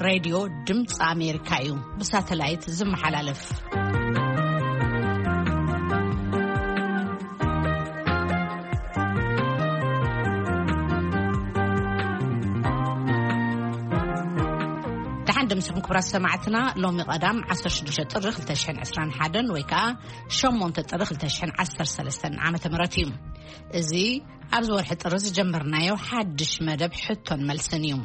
ሬድዮ ድምፂ ኣሜሪካ እዩ፣ ብሳተላይት ዝመሓላለፍ። ደሓን ደምስኹም ክቡራት ሰማዕትና። ሎሚ ቀዳም ዓሰርተ ሽዱሽተ ጥሪ ክልተ ሽሕን ዕስራን ሓደን ወይ ከዓ ሸሞንተ ጥሪ ክልተ ሽሕን ዓሰርተ ሰለስተን ዓመተ ምህረት እዩ። እዚ ኣብዚ ወርሒ ጥሪ ዝጀመርናዮ ሓድሽ መደብ ሕቶን መልስን እዩ።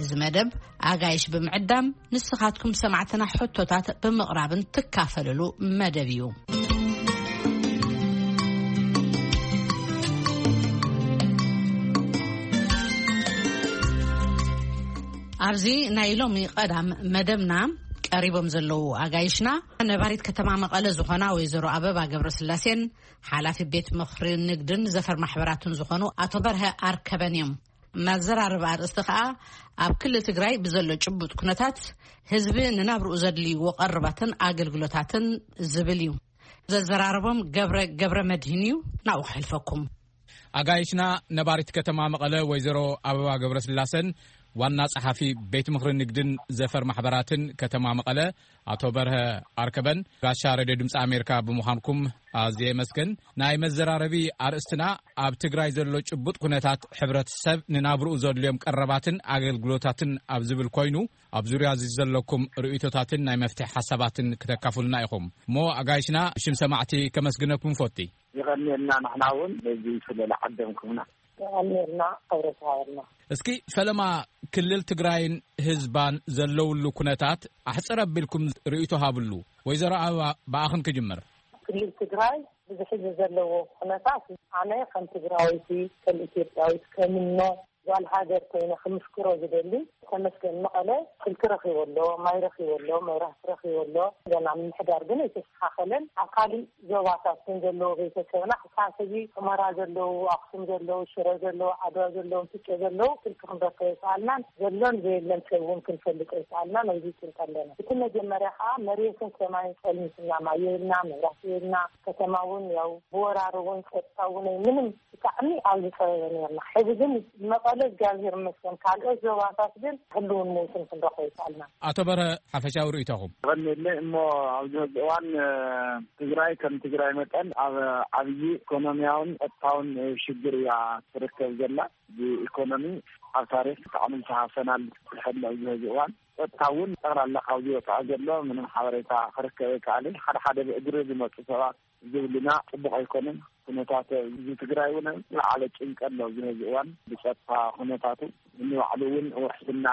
እዚ መደብ ኣጋይሽ ብምዕዳም ንስኻትኩም ሰማዕትና ሕቶታት ብምቕራብን ትካፈልሉ መደብ እዩ። ኣብዚ ናይ ሎሚ ቀዳም መደብና ቀሪቦም ዘለዉ ኣጋይሽና ነባሪት ከተማ መቐለ ዝኾና ወይዘሮ ኣበባ ገብረስላሴን ሓላፊ ቤት ምኽሪ ንግድን ዘፈር ማሕበራትን ዝኾኑ ኣቶ በርሀ ኣርከበን እዮም። መዘራረቢ ኣርእስቲ ከኣ ኣብ ክልል ትግራይ ብዘሎ ጭቡጥ ኩነታት ህዝቢ ንናብርኡ ዘድልይዎ ቀረባትን ኣገልግሎታትን ዝብል እዩ። ዘዘራረቦም ገብረ፣ ገብረ መድህን እዩ። ናብኡ ክሕልፈኩም። ኣጋይሽና ነባሪት ከተማ መቐለ ወይዘሮ ኣበባ ገብረስላሰን ዋና ጸሓፊ ቤት ምኽሪ ንግድን ዘፈር ማሕበራትን ከተማ መቐለ ኣቶ በርሀ ኣርከበን ጋሻ ሬድዮ ድምፂ ኣሜሪካ ብምዃንኩም ኣዝየ የመስግን። ናይ መዘራረቢ ኣርእስትና ኣብ ትግራይ ዘሎ ጭቡጥ ኩነታት ሕብረተሰብ ንናብርኡ ዘድልዮም ቀረባትን ኣገልግሎታትን ኣብ ዝብል ኮይኑ፣ ኣብ ዙርያ እዚ ዘለኩም ርእይቶታትን ናይ መፍትሒ ሓሳባትን ክተካፍሉና ኢኹም። እሞ ኣጋይሽና ብሽም ሰማዕቲ ከመስግነኩም ፈቲ። ይቐንየልና፣ ንሕና እውን በዚ ስለ ዝዓደምኩምና። ይቐንየልና፣ ክብረት ይሃበልና። እስኪ ፈለማ ክልል ትግራይን ህዝባን ዘለውሉ ኩነታት ኣሕፅር ኣቢልኩም ርእይቶ ሃብሉ። ወይዘሮ ኣበባ፣ ብኣኽን ክጅምር። ክልል ትግራይ ብዝሕዚ ዘለዎ ኩነታት ኣነ ከም ትግራወይቲ፣ ከም ኢትዮጵያዊት፣ ከምኖ ጓል ሃገር ኮይነ ክምስክሮ ዝደሊ፣ ተመስገን መቐለ ስልኪ ረኺቡ ኣሎ፣ ማይ ረኺቡ ኣሎ፣ መብራህቲ ረኺቡ ኣሎ። ገና ምምሕዳር ግን ኣይተስተኻኸለን። ኣብ ካሊእ ዞባታት ግን ዘለዎ ቤተሰብና ክሳብ ሕዚ ሑመራ ዘለዉ፣ ኣኽሱም ዘለዉ፣ ሽረ ዘለዉ፣ ዓድዋ ዘለዉ፣ ፍጨ ዘለዉ ስልኪ ክንረክብ ኣይከኣልናን። ዘሎን ዘየለን ሰብ እውን ክንፈልጥ ኣይከኣልናን። ኣብዚ ጭንቂ ኣለና። እቲ መጀመርያ ከዓ መሬትን ሰማይን ጸልሚትና፣ ማይ የብልና፣ መብራህቲ የብልና። ከተማ እውን ያው ብወራሪ እውን ጸጥታ እውን ምንም ብጣዕሚ ኣብ ዝጸበበ ነርና። ሕዚ ግን መቐለ እግዚኣብሔር ይመስገን፣ ካልኦት ዞባታት ግን ህልውን ምውትን ክንረኽቦ ይከኣልና። ኣቶ በርሀ፣ ሓፈሻዊ ርእይቶኹም? ቀኒለ እሞ ኣብዚ ሕዚ እዋን፣ እ፣ ትግራይ ከም ትግራይ መጠን ኣብ ዓብዪ ኢኮኖሚያውን ጸጥታውን፣ እ፣ ሽግር እያ ትርከብ ዘላ። ብኢኮኖሚ ኣብ ታሪክ ብጣዕሚ ዝተሃሰናል ሕሊ ኣብዚ ሕዚ እዋን። ጸጥታ እውን ጠቕላላ ካብዚ ወፃኢ ዘሎ ምንም ሓበሬታ ክርከብ ኣይከኣልን። ሓደ ሓደ ብእግሪ ዝመፁ ሰባት ዝብልና ጽቡቕ ኣይኮነን። ኩነታት ህዝቢ ትግራይ እውን ዝለዓለ ጭንቀት ኣሎ ኣብዚ ሕዚ እዋን ብጸጥታ ኩነታቱ። ንባዕሉ እውን ውሕስና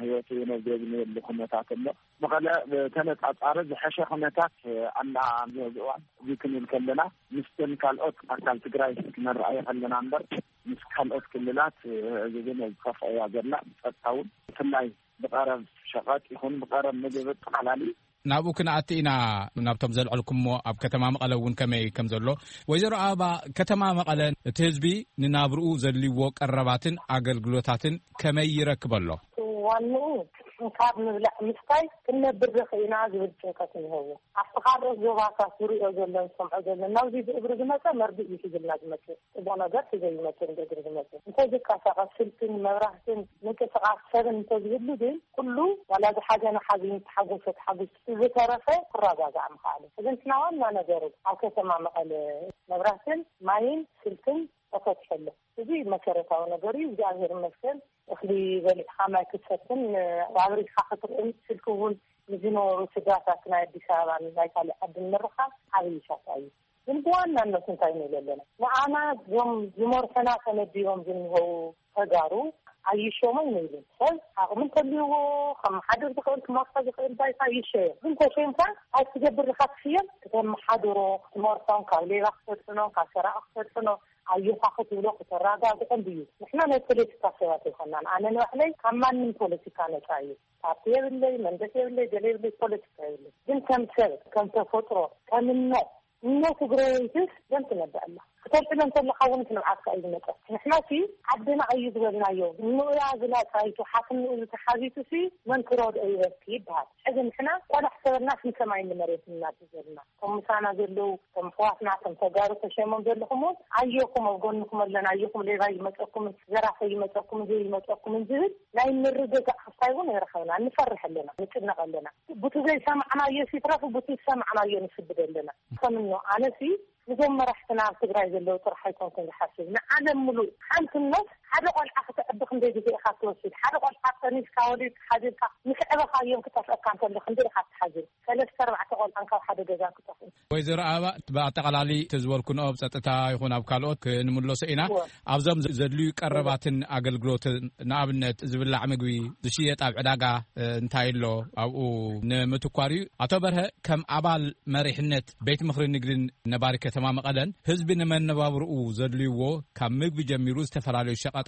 ህይወቱ እውን ኣብ ዘይብሉ ኩነታት ኣሎ። መቐለ ብተነጻጻሪ ዝሐሸ ኩነታት ኣላ ኣብዚ ሕዚ እዋን። እዚ ክንብል ከለና ምስተን ካልኦት ኣካል ትግራይ ክነረኣዮ ከለና እምበር ምስ ካልኦት ክልላት እዚ ግን ዝኸፍአ እያ ዘላ። ብጸጥታ እውን ብፍላይ ብቐረብ ሸቐጥ ይኹን ብቐረብ ምግቢ ኣጠቓላሊ ናብኡ ክንኣቲ ኢና። ናብቶም ዘልዐልኩሞ ኣብ ከተማ መቐለ እውን ከመይ ከም ዘሎ። ወይዘሮ ኣበባ፣ ከተማ መቐለ እቲ ህዝቢ ንናብርኡ ዘድልይዎ ቀረባትን ኣገልግሎታትን ከመይ ይረክብ ኣሎ? ዋንኡ ካብ ምብላዕ ምስታይ ክንነብር ዶ ኽኢና ዝብል ጭንቀት እኒሀዎ። ኣብቲ ካልኦት ዞባታት ዝሪኦ ዘሎ ዝሰምዖ ዘሎ ናብዚ ብእግሪ ዝመፀ መርድእ እዩ ሒዙልና ዝመፅእ። ጽቡቕ ነገር ሒዘ ይመጽእ፣ ብእግሪ ዝመጽእ። እንተዝንቀሳቐስ ስልክን መብራህትን ምንቅስቓስ ሰብን እንተዝህሉ ግን ኩሉ ዋላ ዝሓዘነ ሓዚኑ፣ ዝተሓጎሰ ተሓጒሱ፣ እቲ ዝተረፈ ክረጋጋእ ምኽኣሉ። እዚ እንትና ዋና ነገሩ ኣብ ከተማ መቐለ መብራህትን ማይን ስልክን ተፈቲሑ ኣሎ። እዚ መሰረታዊ ነገር እዩ። እግዚኣብሔር ይመስገን። እኽሊ በሊዕኻ ማይ ክትሰትን ኣብሪኻ ክትርእን ስልኪ እውን ንዝነበሩ ስድራታት ናይ ኣዲስ ኣበባን ናይ ካልእ ዓድን ምርኻብ ዓብዪ ሻሳ እዩ። ግን ብዋናነት እንታይ ንብል ኣለና? ንዓና እዞም ዝመርሑና ተመዲቦም ዝንሄዉ ተጋሩ ኣይሾሞይ ንብል። ሰብ ዓቕሚ እንተልይዎ ከመሓድር ዝኽእል ክመርሖ ዝኽእል ባይታ ይሸዮ። ግን ተሸይምካ ኣይትገብር ኢኻ ትሽየም፣ ክተመሓድሮ፣ ክትመርሖም፣ ካብ ሌባ ክተድሕኖም፣ ካብ ሰራቒ ክተድሕኖም፣ ኣዮኻ ክትብሎ ክተረጋግዖም ድዩ? ንሕና ናይ ፖለቲካ ሰባት ኣይኮናን። ኣነ ንባዕለይ ካብ ማንም ፖለቲካ ነጻ እየ። ፓርቲ የብለይ፣ መንደፍ የብለይ፣ ገለ የብለይ፣ ፖለቲካ የብለይ። ግን ከም ሰብ፣ ከም ተፈጥሮ፣ ከም እኖ፣ እኖ ትግራወይትስ ደም ትነብዕ ኣላ። ክተልዕሎ እንተለኻ እውን እቲ ንብዓትካ እዩ ዝመፀ። ንሕና ሲ ዓድና እዩ ዝበልናዮ፣ ንኡያ ዝላፃይቱ ሓትንኡ ዝተሓዚቱ ሲ መን ክረድኦ ይበልኪ ይበሃል። ሕዚ ንሕና ቆላሕ ተበልናስ ንሰማይ ንመሬት እናድዘልና፣ እቶም ምሳና ዘለዉ፣ እቶም ኣሕዋትና፣ እቶም ተጋሩ ተሸሞም ዘለኹም እውን ኣዮኹም ኣብ ጎንኹም ኣለና፣ ኣዮኹም ሌባ ይመፀኩም፣ ዘራፈ ይመፀኩም፣ ዘይመፀኩም ዝብል ናይ ምርግጋእ ክስታይ እውን ኣይረኸብና። ንፈርሕ ኣለና፣ ንጭነቕ ኣለና። ቡቲ ዘይሰማዕናዮ ሲትረፍ ቡቲ ዝሰማዕናዮ ንስብድ ኣለና። ከምኖ ኣነሲ ንዞም መራሕትና ኣብ ትግራይ ዘለዉ ጥራሕ ኣይኮንኩን ዝሓስብ፣ ንዓለም ምሉእ። ሓንቲ ነፍስ ሓደ ቆልዓ ክተዕቢ ክንደይ ግዜ ኢኻ ትወስድ? ሓደ ቆልዓ ጠኒስካ ወሊድካ ሓዚልካ ምስ ዕበኻዮም ክጠፍአካ እንተሎ ክንደይ ኢኻ ትሓዝን? ሰለስተ ኣርባዕተ ቆልዓን ካብ ሓደ ገዛ ክጠፍኡ። ወይዘሮ ኣበባ፣ ብኣጠቓላሊ እቲ ዝበልኩንኦ ኣብ ጸጥታ ይኹን ኣብ ካልኦት ክንምለሶ ኢና። እወ። ኣብዞም ዘድልዩ ቀረባትን ኣገልግሎትን፣ ንኣብነት ዝብላዕ ምግቢ ዝሽየጥ ኣብ ዕዳጋ፣ እ፣ እንታይ ኣሎ ኣብኡ ንምትኳር እዩ። ኣቶ በርሀ፣ ከም ኣባል መሪሕነት ቤት ምኽሪ ንግድን ነባሪ ከተማ መቐለን ህዝቢ ንመነባብርኡ ዘድልይዎ ካብ ምግቢ ጀሚሩ ዝተፈላለዩ ሸቐጣት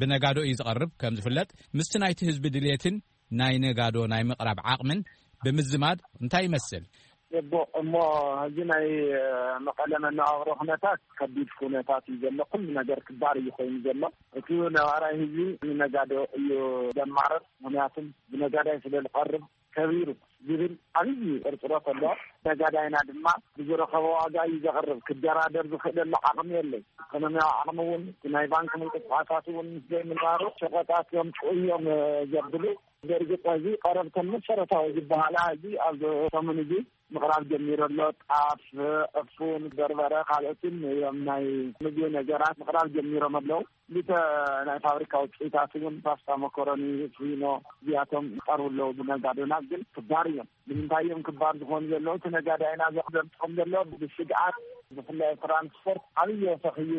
ብነጋዶ እዩ ዝቐርብ። ከም ዝፍለጥ ምስቲ ናይቲ ህዝቢ ድልየትን ናይ ነጋዶ ናይ ምቕራብ ዓቕምን ብምዝማድ እንታይ ይመስል? ጽቡቕ። እሞ፣ ሕዚ ናይ፣ እ፣ መቐለ መነባብሮ ኩነታት ከቢድ ኩነታት እዩ ዘሎ። ኩሉ ነገር ክባር እዩ ኮይኑ ዘሎ። እቲ ነባራይ ህዝቢ ንነጋዶ እዩ ዘማርር። ምኽንያቱም ብነጋዳይ ስለ ዝቐርብ ከቢሩ ዝብል ዓብዪ ጥርጥሮት ኣሎ። ነጋዳይና ድማ ብዝረኸቦ ዋጋ እዩ ዘቕርብ። ክደራደር ዝኽእለሉ ዓቕሚ የለይ። ኢኮኖሚያዊ ዓቕሚ እውን፣ እቲ ናይ ባንክ ምንቅስቃሳት እውን ምስ ዘይምንባሩ ሸቐጣት እዮም ጥዑይ እዮም፣ እ፣ ዘብሉ። ብእርግጥ እዚ ቀረብ ከም መሰረታዊ ዝበሃላ ሕዚ ኣብ ሰሙን እዚ ምቕራብ ጀሚሩ ኣሎ። ጣፍ፣ ዕፉን፣ በርበረ፣ ካልኦትን እዮም ናይ ምግቢ ነገራት ምቕራብ ጀሚሮም ኣለዉ። ክልተ ናይ ፋብሪካ ውፅኢታት እውን ፓስታ፣ መኮረኒ፣ ፊኖ እዚኣቶም ይቐርቡ ኣለዉ። ብነጋዶና ግን ክባር እዮም። ንምንታይ እዮም ክባር ዝኾኑ ዘለዉ? እቲ ነጋዳይና ዘምፅኦም ዘሎ ብስግኣት፣ ብፍላይ ትራንስፖርት ዓብዪ ወሰኽ እዩ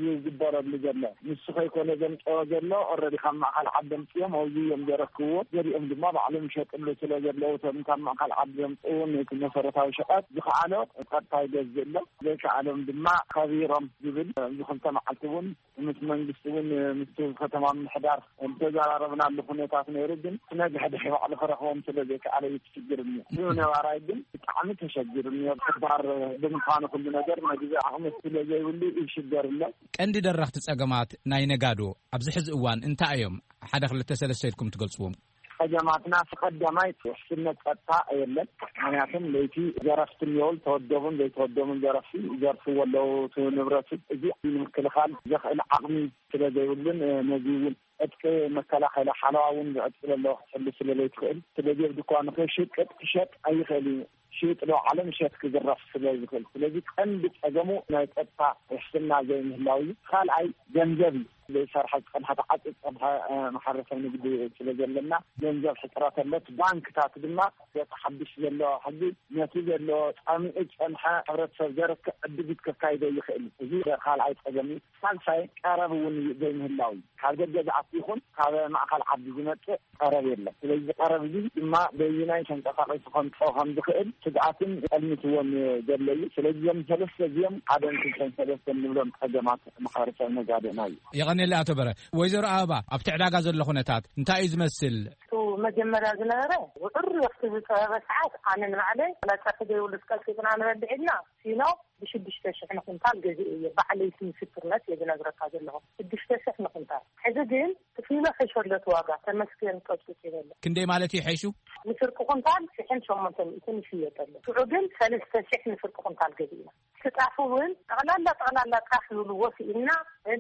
ይግበረሉ ዘሎ። ንሱ ከይኮነ ዘምፅኦ ዘሎ ኦልሬዲ ካብ ማእኸል ዓዲ ኣምፅኦም ኣብዚ እዮም ዘረክብዎ። ገሊኦም ድማ ባዕሎም ይሸጥሉ ስለ ዘለዉ እቶም ካብ ማእኸል ዓዲ ዘምፅኡ ነቲ መሰረታዊ ሸቐጥ ዝኸኣሎ ቀጥታ ይገዝእ ኣሎ። ዘይከኣሎም ድማ ከቢሮም ዝብል ኣብዚ ክልተ መዓልቲ እውን ምስ መንግስቲ እውን ምስቲ ከተማ ምምሕዳር ዝተዘራረብናሉ ኩነታት ነይሩ። ግን ክነግሕ ድሕሪ ባዕሉ ክረኽቦም ስለ ዘይከኣለ እዩ እቲ ሽግር እኒኦ። እዚ ነባራይ ግን ብጣዕሚ ተሸጊሩ እኒኦ። ክባር ብምዃኑ ኩሉ ነገር መግቢ ዓቕሚ ስለ ዘይብሉ ይሽገር ኣሎ። ቀንዲ ደረኽቲ ጸገማት ናይ ነጋዶ ኣብዚ ሕዚ እዋን እንታይ እዮም? ሓደ ክልተ ሰለስተ ኢልኩም ትገልጽዎም? ጸገማትና፣ እቲ ቀዳማይ ውሕስነት ጸጥታ የለን። ምኽንያቱም ለይቲ ዘረፍቲ እኒኦው፣ ዝተወደቡን ዘይተወደቡን ዘረፍቲ ይዘርፍዎ ኣለዉ። እቲ ንብረት እዚ ንምክልኻል ዘኽእል ዓቕሚ ስለ ዘይብሉን፣ እ፣ ነዚ እውን ዕጥቂ መከላኸሊ ሓለዋ እውን ብዕጥቂ ዘለዎ ክትሕሉ ስለ ዘይትኽእል፣ ስለዚ ኣብ ድኳኑ ከይሽቅጥ ክሸጥ ኣይኽእል እዩ። ሽይጥ ዶ ዓለም እሸት ክዝረፍ ስለ ዝኽእል። ስለዚ ቀንዲ ጸገሙ ናይ ጸጥታ ውሕስና ዘይምህላው እዩ። ካልኣይ ገንዘብ እዩ። ዘይሰርሐ ዝጸንሐ፣ ተዓጽዩ ዝጸንሐ፣ እ፣ ማሕበረሰብ ንግዲ ስለ ዘለና ገንዘብ ሕጽረት ኣሎ። እቲ ባንክታት ድማ በቲ ሓድሽ ዘሎ ሕጊ ነቲ ዘሎ ጸሚኡ ዝጸንሐ ሕብረተሰብ ዘርክዕ ዕድጊት ከካይዶ ይኽእል እዩ። እዚ ካልኣይ ጸገም እዩ። ሳልሳይ ቀረብ እውን ዘይምህላው እዩ። ካብ ደገ ዝኣቱ ይኹን ካብ ማእኸል ዓዲ ዝመጽእ ቀረብ የለን። ስለዚ ቀረብ እዚ ድማ በይናይ ተንቀሳቒሱ ከምፅኦ ከም ዝኽእል ስግኣትን ጠልሚትዎን ዘሎ እዩ። ስለዚ እዞም ሰለስተ እዚኦም ሓደን ክልተን ሰለስተን ንብሎም ጸገማት ማሕበረሰብ ነጋዴና እዩ። የቐኔለ ኣቶ በረ። ወይዘሮ ኣበባ፣ ኣብቲ ዕዳጋ ዘሎ ኩነታት እንታይ እዩ ዝመስል? እቱ መጀመርያ ዝነበረ ውዕር ወቅቲ ዝፀበበ ሰዓት ኣነ ንባዕለይ ላፀ ክደይብሉ ዝቀልጢጥና ንበልዕ ኢልና ሲኖ ብሽዱሽተ ሽሕ ንኩንታል ገዚኤ እየ። ባዕለይቲ ምስክርነት እየ ዝነግረካ ዘለኹ። ሽዱሽተ ሽሕ ንኩንታል። ሕዚ ግን እቲ ፊኖ ሕሾ ኣሎ እቲ ዋጋ፣ ተመስገን ቀጥቅጥ ይበለ። ክንደይ ማለት እዩ ሕሹ? ንፍርቂ ኩንታል ሽሕን ሸሞንተ ሚእትን ይሽየጥ ኣሎ። ሽዑ ግን ሰለስተ ሽሕ ንፍርቂ ኩንታል ገዚእና። እቲ ጣፍ እውን ጠቕላላ ጠቕላላ ጣፍ ዝብልዎ ስኢንና፣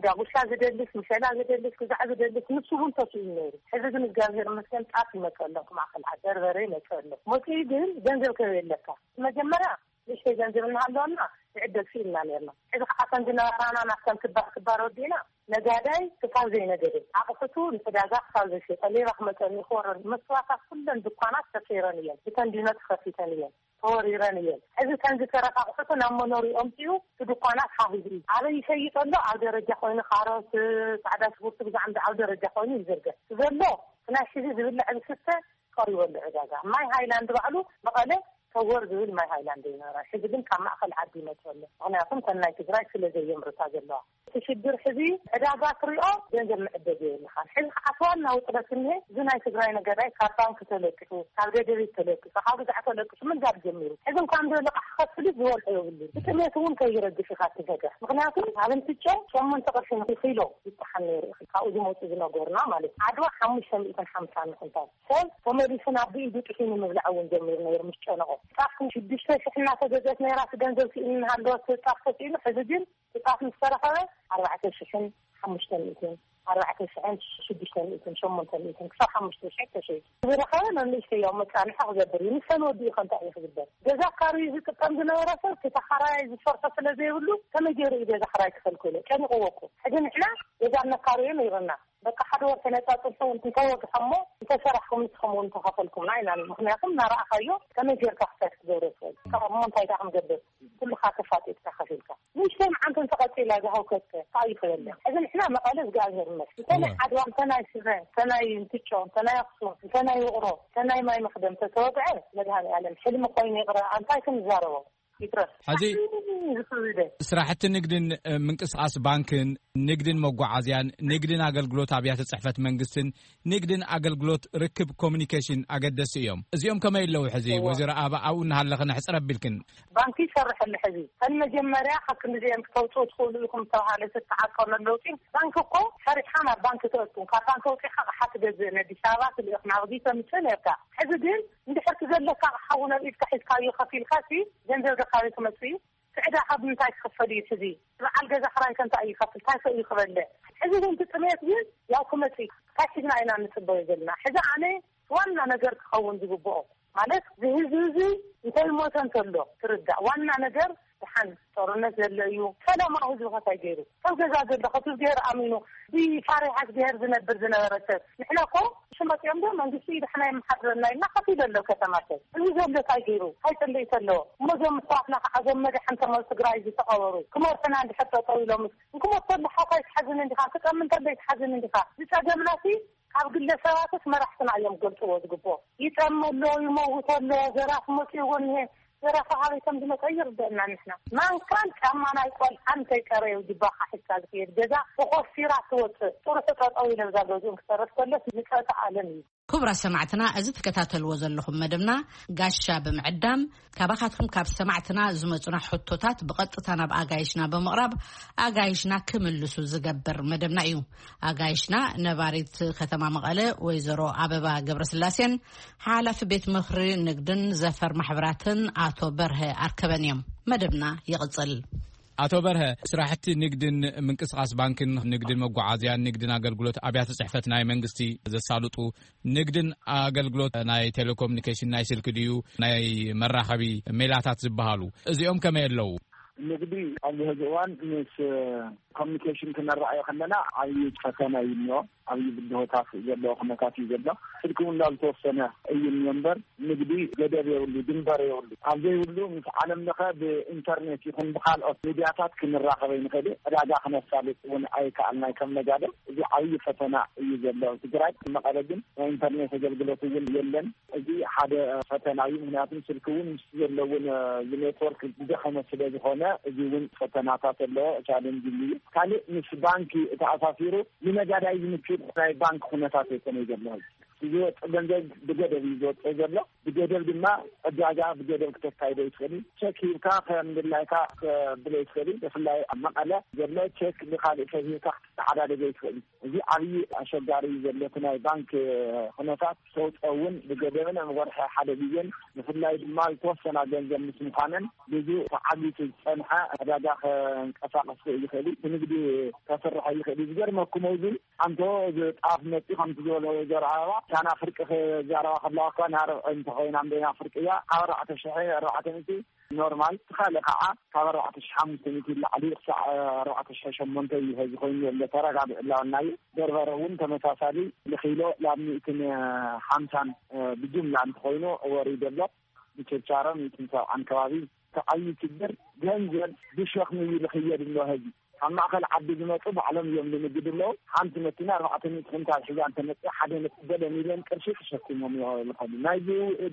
ዳጉሻ ዝደልስ፣ ምሸላ ዝደልስ፣ ግዛዕ ዝደልስ ንሱ እውን ተስኢኑ ነይሩ። ሕዚ ግን እግዚኣብሔር ይመስገን ጣፍ ይመፀ ኣሎ፣ ማእኸል ዓዲ በርበረ ይመፀ ኣሎ። መፅኡ ግን ገንዘብ ከበየለካ መጀመርያ ንእሽተይ ገንዘብ እናሃለወና ንዕደግ ስኢንና ነርና። ሕዚ ከዓ ከም ዝነበራና ናብተን ክባር ክባር ወዲእና ነጋዳይ ክሳብ ዘይነገደ፣ ኣቕሑቱ ንዕዳጋ ክሳብ ዘይሸጠ፣ ሌባ ክመፀኒ ክወረኒ፣ መስዋእታት ኩለን ድኳናት ተሰይረን እየን። ብተንዲኖ ተኸፊተን እየን፣ ተወሪረን እየን። ሕዚ እተን ዝተረፋ ኣቕሑቱ ናብ መኖሪኦም እትዩ እቲ ድኳናት ሃሂቡ እዩ። ኣበይ ይሸይጥ ኣሎ? ኣብ ደረጃ ኮይኑ ካሮት፣ ፃዕዳ ሽጉርቲ ብዛዕባ ኣብ ደረጃ ኮይኑ ይዝርገ ዘሎ ናይ ሕዚ ዝብላዕ ዝስተ ቀሪቡ ኣሎ ዕዳጋ። ማይ ሃይላንድ ባዕሉ መቐለ ተወር ዝብል ማይ ሃይላንድ ይነበራ። ሕዚ ግን ካብ ማእኸል ዓዲ ይመፅእ ኣሎ። ምኽንያቱም ከም ናይ ትግራይ ስለ ዘየምርታ ዘለዋ። እቲ ሽግር ሕዚ ዕዳጋ ትሪኦ፣ ገንዘብ መዕደግ የብልኻን። ሕዚ ከዓ እቲ ዋና ውጥረት እኒሀ፣ እዚ ናይ ትግራይ ነገዳይ ካብ ባንክ ተለቂሑ፣ ካብ ደደቢት ተለቂሑ፣ ካብ ግዛዕ ተለቂሑ ምንጋድ ጀሚሩ። ሕዚ እንኳን ዘሎ ቃሕ ክኸፍል ዝበልዖ የብሉን። ብጥሜት እውን ከይረግፍ ኢኻ ትገደፍ። ምክንያቱ ኣብ እንትጮ ሸሞንተ ቅርሺ ንኪሎ ይጠሓን ነይሩ። ካብኡ ዝመፁ ዝነገሩና ማለት እዩ። ዓድዋ ሓሙሽተ ሚእትን ሓምሳን ንክንታል ሰብ ተመሊሱ ናብ ብኢዱ ጥሒኑ ምብላዕ እውን ጀሚሩ ነይሩ ምስ ጨነቆ። ጣፍ ሽዱሽተ ሽሕ እናተገዘት ነይራ፣ እቲ ገንዘብ ስኢኑ እናሃለወ ጣፍ ተስኢኑ፣ ሕዚ ግን ጣፍ ምስ ተረኸበ ኣርባዕተ ሽሕን ሓሙሽተ ሚእትን፣ ኣርባዕተ ሽሕን ሽዱሽተ ሚእትን፣ ሸሞንተ ሚእትን ክሳብ ሓሙሽተ ሽሕ ተሸይጡ። ዝረኸበ ናብ ንእሽተይ ያው መቃንሒ ክገብር እዩ። ንሰን ወዲኡ ከ እንታይ እዩ ክግበር? ገዛ ኣካርዩ ዝጥቀም ዝነበረ ሰብ፣ እቲ ተኻራያይ ዝሰርሖ ስለ ዘይብሉ፣ ከመይ ገይሩ እዩ ገዛ ክራይ ክኸልክሎ? ጨኒቕዎ እኮ። ሕዚ ንሕና ገዛ እነካርዮ ነይርና። በቃ ሓደ ወር ተነጻጽፎ እንተወግሐሞ፣ እንተሰራሕኩም ንስኹም እውን ተኸፈልኩምና ኢና። ምክንያቱም እናረኣኻዮ ከመይ ጌርካ ክሳድ ክትገብሮ ትኽእል? ካብ እሞ እንታይ ኢኻ ክንገብር? ኩልኻ ተፋጢጥካ ከፊልካ። ንእሽተይ መዓንተን ተቐጺላ እዛ ሃውከትከ፣ እንታይ እዩ ክበልዕ? ሕዚ ንሕና መቐለ እግዚኣብሔር ይመስገን። እንተ ናይ እወ። ዓድዋ፣ እንተ ናይ ሽረ፣ እንተ ናይ እንትጮ፣ እንተ ናይ ኣኽሱም፣ እንተ ናይ ውቕሮ፣ እንተ ናይ ማይ መኽደም ተተወግዐ፣ መድሃኔ ዓለም ሕልሚ ኮይኑ ይቕረ፣ ኣንታይ ክንዛረቦ? ይትረፍ። ሕዚ ዝኽሪ ስራሕቲ ንግድን፣ እ፣ ምንቅስቓስ ባንክን፣ ንግድን መጓዓዝያን፣ ንግድን ኣገልግሎት ኣብያተ ጽሕፈት መንግስትን፣ ንግድን ኣገልግሎት ርክብ ኮሚኒኬሽን ኣገደሲ እዮም። እዚኦም ከመይ ኣለዉ? ሕዚ እዎ። ወይዘሮ ኣበባ ኣብኡ እናሃለኽን ሕጽር ኣቢልክን። ባንክ ይሰርሕ ኣሎ። ሕዚ ከም መጀመርያ ካብ ክንዲዚኦም ክተውፅኡ ትኽእሉ ኢኹም ዝተባሃለ ዝተዓቀነ ለውጢ፣ ባንክ እኮ ሰሪሕካ ናብ ባንክ ተእቱ፣ ካብ ባንክ ኣውፂእካ ኣቕሓ ትገዝእ፣ ነዲስ ኣበባ ትልእኽ፣ ናብ ጊተ ምፅእ ነርካ። ሕዚ ግን እንድሕር ትዘለካ ኣቕሓ እውን ኣብ ኢድካ ሒዝካዮ ከፊልካ ሲ ገንዘብ ደካበይ ክመፅእ እዩ? እቲ ዕዳ ካብ ምንታይ ክኽፈል እዩ? ሕዚ በዓል ገዛ ክራይ ከ እንታይ እዩ ይኸፍል? እንታይ ከ እዩ ክበልዕ? ሕዚ ግን እቲ ጥሜት ግን ያው ክመፅእ እዩ። እንታይ ሒዝና ኢና እንፅበዮ ዘለና? ሕዚ ኣነ ዋና ነገር ክኸውን ዝግብኦ ማለት፣ እዚ ህዝቢ እዚ እንተይሞተ እንተሎ ትርዳእ። ዋና ነገር ደሓን ጦርነት ዘሎ እዩ። ሰላማዊ ህዝቢ ከ እንታይ ገይሩ? ሰብ ገዛ ዘሎ ከ ብዝገር ኣሚኑ ብፋሪሃ እግዚኣብሔር ዝነብር ዝነበረ ሰብ። ንሕና እኮ ሽመፅኦም ዶ መንግስቲ ደሕና የመሓድረና ኢልና ከፊሉ ኣሎ ከተማ ሰብ። እዚ ዘሎ እንታይ ገይሩ? እንታይ ፅልኢት ኣለዎ? እሞ እዞም ኣሕዋትና ከዓ እዞም መድሓን ተመ ትግራይ ዝተቐበሩ ክመርሑና እንድሕር ጠጠው ኢሎምስ፣ እንክሞት ከሎ ሓፋይ ትሓዝን እንዲኻ፣ ክጠሚ እንተሎ ይትሓዝን እንዲኻ። ዝፀገምና ሲ ካብ ግለሰባትስ መራሕትና እዮም ገልፅዎ ዝግብኦ። ይጠሚ ኣሎ፣ ይመውት ኣሎ፣ ዘራፊ መፅእዎ እኒሀ። ዘራፊ ካበይ ከም ዝመፀ ይርደአና። ንሕና ማንካን ጫማ ናይ ቆልዓን እንተይፀረዩ ጅባኻ ሒዝካ ዝኽየድ ገዛ ተኾሲራ ትወፅእ። ጥርሑ ጠጠው ኢለ እዛ ገዝኡ ክሰርፍ ከሎስ ምጸተ ዓለም እዩ። ክቡራት ሰማዕትና፣ እዚ ትከታተልዎ ዘለኹም መደብና ጋሻ ብምዕዳም ካባኻትኩም ካብ ሰማዕትና ዝመጹና ሕቶታት ብቐጥታ ናብ ኣጋይሽና ብምቕራብ ኣጋይሽና ክምልሱ ዝገብር መደብና እዩ። ኣጋይሽና ነባሪት ከተማ መቐለ ወይዘሮ ኣበባ ገብረስላሴን ሓላፊ ቤት ምኽሪ ንግድን ዘፈር ማሕበራትን ኣቶ በርሀ ኣርከበን እዮም። መደብና ይቕጽል። ኣቶ በርሀ፣ ስራሕቲ ንግድን ምንቅስቓስ ባንክን፣ ንግድን መጓዓዝያን፣ ንግድን ኣገልግሎት ኣብያተ ጽሕፈት ናይ መንግስቲ ዘሳልጡ፣ ንግድን ኣገልግሎት ናይ ቴሌኮሙኒኬሽን፣ ናይ ስልኪ ድዩ ናይ መራኸቢ ሜላታት ዝበሃሉ፣ እዚኦም ከመይ ኣለዉ? ንግዲ ኣብዚ ሕዚ እዋን ምስ ኮሚኒኬሽን ክነረኣዮ ከለና ዓብዪ ፈተና እዩ እኒኦ። ዓብዪ ብድሆታት ዘለዎ ኩነታት እዩ ዘሎ። ስልኪ እውን ናብ ዝተወሰነ እዩ እኒኦ እምበር፣ ንግዲ ገደብ የብሉ፣ ድንበር የብሉ። ኣብ ዘይብሉ ምስ ዓለም ለኸ ብኢንተርኔት ይኹን ብካልኦት ሚድያታት ክንራኸብ ኣይንኽእል። ዕዳጋ ክነሳልጥ እውን ኣይከኣልናይ ከም ነጋዶ። እዚ ዓብዪ ፈተና እዩ ዘሎ ኣብ ትግራይ። መቐለ ግን ናይ ኢንተርኔት ኣገልግሎት እውን የለን። እዚ ሓደ ፈተና እዩ። ምክንያቱም ስልኪ እውን ምስ ዘለውን፣ እ፣ ኔትወርክ ዝደኸመ ስለ ዝኾነ፣ እዚ እውን ፈተናታት ኣለዎ፣ ቻሌንጅ እዩ። ካልእ ምስ ባንኪ ተኣሳሲሩ ንነጋዳይ ዝምችእ ናይ ባንክ ኩነታት ኣይኮነ ዘሎ። ዝወፅእ ገንዘብ ብገደብ እዩ ዝወፅእ ዘሎ። ብገደብ ድማ ዕዳጋ ብገደብ ክተካይዶ ይትኽእል እዩ። ቸክ ሂብካ ከም ድላይካ ከብሎ ይትኽእል እዩ። ብፍላይ ኣብ መቐለ ዘሎ ቸክ ንካልእ ሰብ ሂብካ ክትተዓዳደጎ ይትኽእል እዩ። እዚ ዓብዪ ኣሸጋሪ እዩ ዘሎ እቲ ናይ ባንክ ኩነታት። ተውፀ እውን ብገደብን ኣብ ወርሒ ሓደ ግዜን፣ ብፍላይ ድማ ዝተወሰና ገንዘብ ምስ ምዃነን ብዙ ተዓጊቱ ዝፀንሐ ዕዳጋ ከንቀሳቐስ ይኽእል እዩ። እቲ ንግዲ ከስርሕ ይኽእል እዩ። ዝገርመኩም እዚ ኣንቶ እዚ ጣፍ መፂ ከምቲ ዝበለ ወይዘሮ ኣበባ፣ እታ ናብ ፍርቂ ክዛረባ ከለዋ እኳ ናይ ኣርብዒ እንተኾይና እምበይና ፍርቂ እያ። ካብ ኣርባዕተ ሽሕ ኣርባዕተ ሚእቲ ኖርማል፣ እቲ ካልእ ከዓ ካብ ኣርባዕተ ሽሕ ሓሙሽተ ሚእቲ ላዕሊ ክሳዕ ኣርባዕተ ሽሕ ሸሞንተ እዩ ኸዚ ኮይኑ ዘሎ ተረጋጊዑ እናበልና እዩ። በርበረ እውን ተመሳሳሊ ንኪሎ ላብ ሚእትን ሓምሳን ብጅምላ እንተኾይኑ ወሪዱ ኣሎ። ብችርቻሮ ሚእትን ሰብዓን ከባቢ። እቲ ዓብዪ ችግር ገንዘብ ብሸኽሚ እዩ ዝኽየድ ኣሎ ህዝቢ። ካብ ማእኸል ዓዲ ዝመፁ ባዕሎም እዮም ዝንግዱ ኣለዉ። ሓንቲ መኪና ኣርባዕተ ሚእቲ ኩንታል ሒዛ እንተመፅእ ሓደ ነጥቢ ገለ ሚልዮን ቅርሺ ተሸኪሞም ይኸዱ። ናይዚ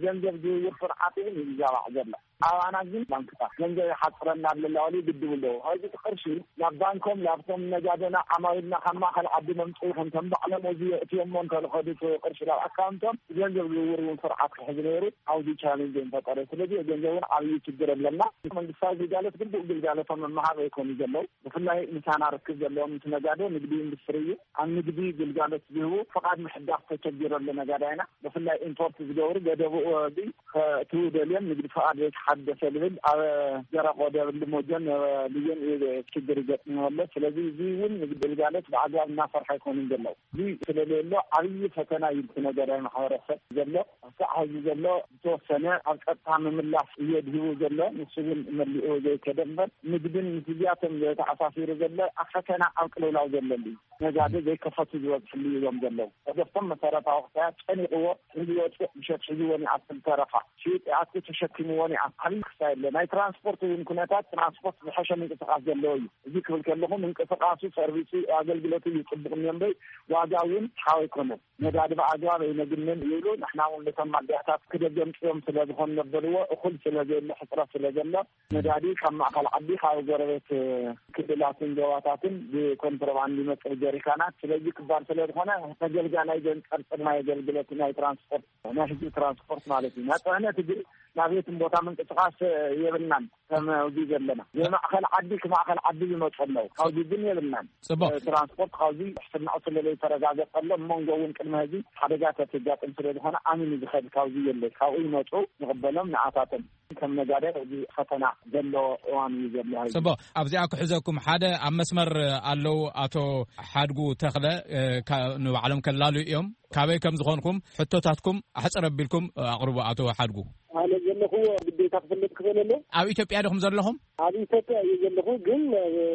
ገንዘብ ዝውውር ስርዓት እውን እዩ ይዛባዕ ዘሎ። ኣባና ግን ባንክታት ገንዘብ ይሓፅረና ኣለና ወሊ ግድቡ ኣለዉ። ሕዚ እቲ ቅርሺ ናብ ባንኮም፣ ላብቶም ነጋደና ዓማዊልና ካብ ማእኸል ዓዲ መምፅኡ ከም ተንባዕሎም እዚ የእትዮሞ እንተልኸዱ እቲ ቅርሺ ናብ ኣካውንቶም፣ ገንዘብ ዝውውር እውን ስርዓት ክሕዝ ነይሩ። ኣብዚ ቻሌንጅ እዮም ፈጠረ። ስለዚ ገንዘብ እውን ዓብዪ ችግር ኣለና። መንግስታዊ ግልጋሎት ግቡእ ግልጋሎቶም መመሃብ ኣይኮኑ ዘለዉ። ብፍላይ ምሳና ርክብ ዘለዎም ምስ ነጋዶ ንግዲ ኢንዱስትሪ እዩ። ኣብ ንግዲ ግልጋሎት ዝህቡ ፍቓድ ምሕዳስ ተቸጊሩ ኣሎ ነጋዳይና። ብፍላይ ኢምፖርት ዝገብሩ ገደቡ እዚ ከእትዉ ደልዮም ንግዲ ፍቓድ ዘይተሓደሰ ዝብል ኣብ ደረቕ ወደብ ልሞጆን ልዮን እዩ ችግር ይገጥሞ ኣሎ። ስለዚ እዚ እውን ንግዲ ግልጋሎት ብኣግባብ እናሰርሐ ኣይኮኑን ዘለዉ። እዚ ስለዘሎ ዓብዪ ፈተና እዩ እቲ ነጋዳይ ማሕበረሰብ ዘሎ። ክሳዕ ሕዚ ዘሎ ዝተወሰነ ኣብ ጸጥታ ምምላስ እየ ድሂቡ ዘሎ። ንሱ እውን መሊኡ ዘይከደ እምበር ንግድን ምስዚኣቶም ዝተኣሳሲሩ ዘሎ ኣብ ፈተና ኣብ ቅልውላው ዘለሉ እዩ። ነጋዶ ዘይከፈቱ ዝበዝሕሉ እዮም ዘለዉ። ተገፍቶም መሰረታዊ ክሳያት ጨኒቕዎ ሒዝዎ ጭቕ ብሸት ሒዝዎ ይኣክል ተረፋ ሽጥ ይኣክል ተሸኪምዎ ይኣክል ዓብዪ ክሳይ ኣሎ። ናይ ትራንስፖርት እውን ኩነታት ትራንስፖርት ዝሐሸ ምንቅስቃስ ዘለዎ እዩ። እዚ ክብል ከለኹ ምንቅስቃሱ ሰርቪሱ ኣገልግሎቱ እዩ ጽቡቕ እኒኦ እምበይ ዋጋ እውን ሓው ኣይኮነን። ነዳዲ ብኣግባብ ኣይነግንን ይብሉ። ንሕና እውን ነቶም ማደያታት ክደገምፅኦም ስለ ዝኾን ነበርዎ እኹል ስለ ዘየለ ሕፅረት ስለ ዘሎ ነዳዲ ካብ ማእኸል ዓዲ ካብ ጎረቤት ክልላትን ዞባታትን ብኮንትሮባንድ ይመፅእ ጀሪካናት። ስለዚ ክባር ስለ ዝኾነ ተገልጋላይ ዘንፀርፅር ናይ ኣገልግሎት ናይ ትራንስፖርት ናይ ህዝቢ ትራንስፖርት ማለት እዩ። ናይ ፅዕነት ግን ናቤትን ቦታ ምንቅስቃስ የብልናን። ከም ኣብዚ ዘለና ብማእኸል ዓዲ ክማእኸል ዓዲ ዝመፁ ኣለዉ። ካብዚ ግን የብልናን። ፅቡቅ። ትራንስፖርት ካብዚ ሕስናኡ ስለ ዘይተረጋገፀሎም መንጎ እውን ቅድሚ ሕዚ ሓደጋ ተትጋጥም ስለ ዝኾነ ኣሚኑ ዝኸድ ካብዚ የለ። ካብኡ ይመፁ ንቕበሎም ንኣታቶም ከም ነጋደ እዚ ፈተና ዘሎ እዋን እዩ ዘሎ። ሕዚ ፅቡቅ። ኣብዚኣ ክሕዘኩም ሓደ ኣብ መስመር ኣለዉ ኣቶ ሓድጉ ተኽለ ንባዕሎም ከላሉ እዮም። ካበይ ከም ዝኾንኩም ሕቶታትኩም ኣሕፅር ኣቢልኩም ኣቕርቡ ኣቶ ሓድጉ። ኣነ ዘለኹዎ ግዴታ ክፍለጥ ክኽእል ኣሎ። ኣብ ኢትዮጵያ ዲኹም ዘለኹም? ኣብ ኢትዮጵያ እየ ዘለኹ፣ ግን